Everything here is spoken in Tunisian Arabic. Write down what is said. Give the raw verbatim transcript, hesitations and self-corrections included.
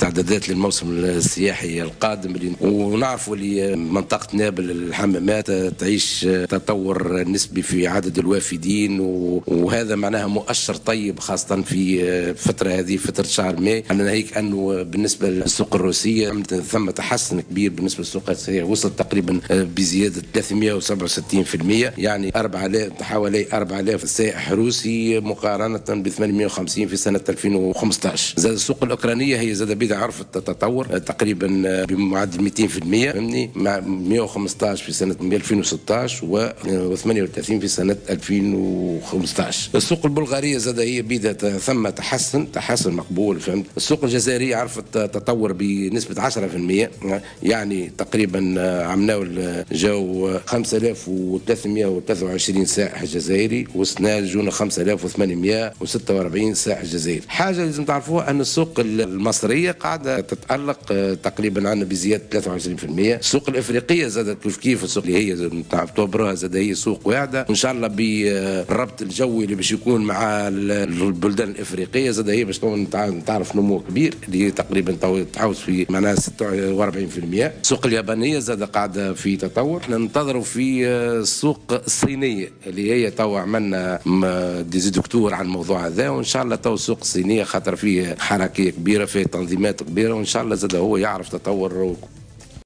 استعدادات للموسم السياحي القادم، ونعرفوا اللي منطقة نابل الحمامات تعيش تطور نسبي في عدد الوافدين، وهذا معناها مؤشر طيب خاصة في الفترة هذه، فترة شهر ماي. أنا ناهيك أنه بالنسبة للسوق الروسية ثم تحسن كبير بالنسبة للسوق الروسية، وصلت تقريبا بزيادة ثلاثمئة وسبعة وستين بالمئة، يعني أربعة آلاف حوالي أربعة آلاف سائح روسي مقارنة ب ثمانمئة وخمسين في سنة ألفين وخمسة عشر. زاد السوق الأوكرانية هي زاد بدا عرفت التطور تقريبا بمعدل مئتين بالمئة، فهمني، مع مئة وخمسة عشر في سنة ألفين وستة عشر و ثمانية وثلاثين في سنة ألفين وخمسة عشر. السوق البلغارية زاد هي بدا ثم تحسن تحسن مقبول، فهمت. السوق الجزائرية عرفت تطور بنسبة عشرة بالمئة، يعني تقريبا عملناو جاو خمسة آلاف وثلاثمئة وثلاثة وعشرين سائح جزائري، وسنا جونا خمسة آلاف وثمانمئة وستة وأربعين سائح جزائري. حاجة لازم تعرفوها أن السوق المصرية قاعدة تتألق تقريبا عندنا بزيادة ثلاثة وعشرين بالمئة. السوق الإفريقية زادت كيف كيف، السوق اللي هي تعتبروها زاد هي سوق واعدة، وإن شاء الله بالربط الجوي اللي باش يكون مع البلدان الإفريقية زاد هي باش تعرف نمو كبير اللي تقريبا تعوز في معناها ستة وأربعين بالمئة. السوق اليابانية زاد قاعدة في تطور. احنا ننتظروا في السوق الصينية اللي هي تو عملنا des docteurs على الموضوع هذا، وإن شاء الله تو السوق الصينية خاطر فيه حركية كبيرة، فيه تنظيمات كبيرة، وإن شاء الله زاد هو يعرف تطور.